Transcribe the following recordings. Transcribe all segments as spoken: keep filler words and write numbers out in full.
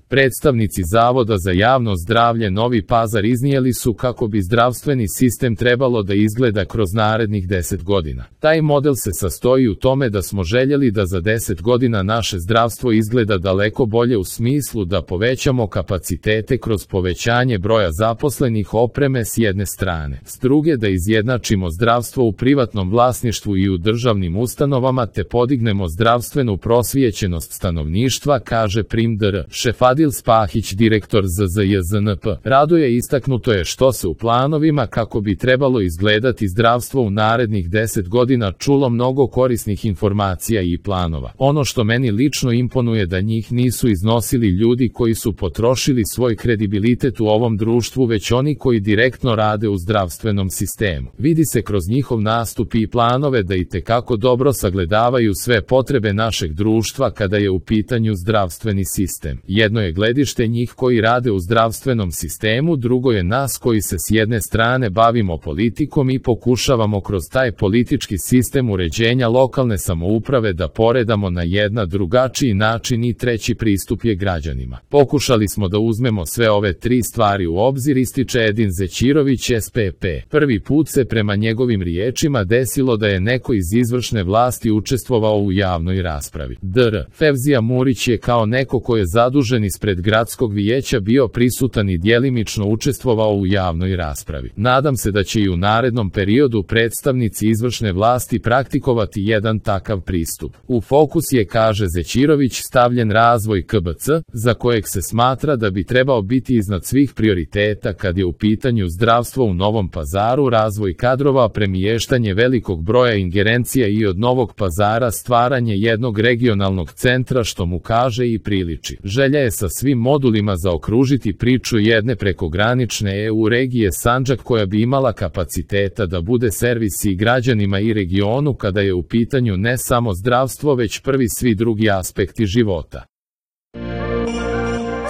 Predstavnici Zavoda za javno zdravlje Novi Pazar iznijeli su kako bi zdravstveni sistem trebalo da izgleda kroz narednih deset godina. Taj model se sastoji u tome da smo željeli da za deset godina naše zdravstvo izgleda daleko bolje u smislu da povećamo kapacitete kroz povećanje broja zaposlenih, opreme s jedne strane, s druge da izjednačimo zdravstvo u privatnom vlasništvu i u državnim ustanovama te podignemo zdravstvenu prosvijećenost stanovništva, kaže prim dr. Šefadil Spahić, direktor Z Z J Z N P. Raduje istaknuto je što se u planovima kako bi trebalo izgledati zdravstvo u narednih deset godina čulo mnogo korisnih informacija i planova. Ono što meni lično imponuje da njih nisu iznosili ljudi koji su potrošili svoj kredibilitet u ovom društvu, već oni koji direktno rade u zdravstvenom sistemu. Vidi se kroz njihov nastup i planove da itekako dobro sagledavaju sve potrebe našeg društva kada je u pitanju zdravstveni sistem. Jedno je gledište njih koji rade u zdravstvenom sistemu, drugo je nas koji se s jedne strane bavimo politikom i pokušavamo kroz taj politički sistem uređenja lokalne samouprave da poredamo na jedna drugačiji način i treći pristup je građanima. Pokušali smo da uzmemo sve ove tri stvari u obzir, ističe Edin Zećirović S P P. Prvi put se prema njegovim riječima desilo da je neko iz izvršne vlasti učestvovao u javnoj raspravi. dr. Fevzija Murić je kao neko ko je zadužen ispred gradskog vijeća bio prisutan i djelimično učestvovao u javnoj raspravi. Nadam se da će i u narednom periodu predstavnici izvršne vlasti praktikovati jedan takav pristup. U fokus je, kaže Zećirović, stavljen razvoj K B C, za kojeg se smatra da bi trebao biti iznad svih prioriteta kad je u pitanju zdravstvo u Novom Pazaru, razvoj kadrova, premještanje velikog broja ingerencija i od Novog Pazara stvaranje jednog regionalnog centra, što mu kaže i priliči. Želja je sa svim modulima zaokružiti priču jedne prekogranične E U regije Sandžak koja bi imala kapaciteta da bude servis i građanima i regionu kada je u pitanju ne samo zdravstvo već prvi svi drugi aspekti života.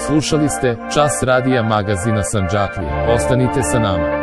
Slušali ste Čas radija magazina Sandžaklije. Ostanite sa nama.